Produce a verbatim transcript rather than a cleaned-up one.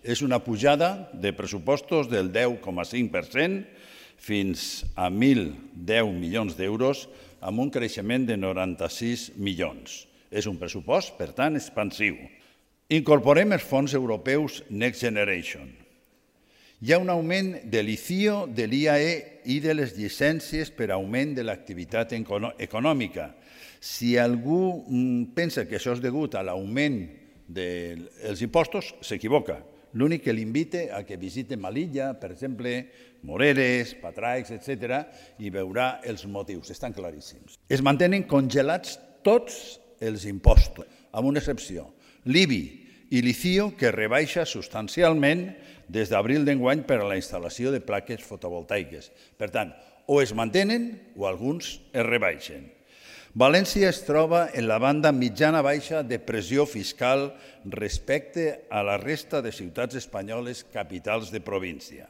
És una pujada de pressupostos del deu coma cinc per cent fins a mil deu milions d'euros amb un creixement de noranta-sis milions. És un pressupost, per tant, expansiu. Incorporem els fons europeus Next Generation. Hi ha un augment de l'I C I O, de l'I A E i de les llicències per augment de l'activitat econòmica. Si algú pensa que això és degut a l'augment dels impostos, s'equivoca. L'únic que l'invite a que visite Melilla, per exemple, Moreres, Patraix, etcètera, i veurà els motius, estan claríssims. Es mantenen congelats tots els impostos, amb una excepció, l'I B I i l'I C I O, que rebaixa substancialment des d'abril d'enguany per a la instal·lació de plaques fotovoltaiques. Per tant, o es mantenen o alguns es rebaixen. València es troba en la banda mitjana-baixa de pressió fiscal respecte a la resta de ciutats espanyoles capitals de província.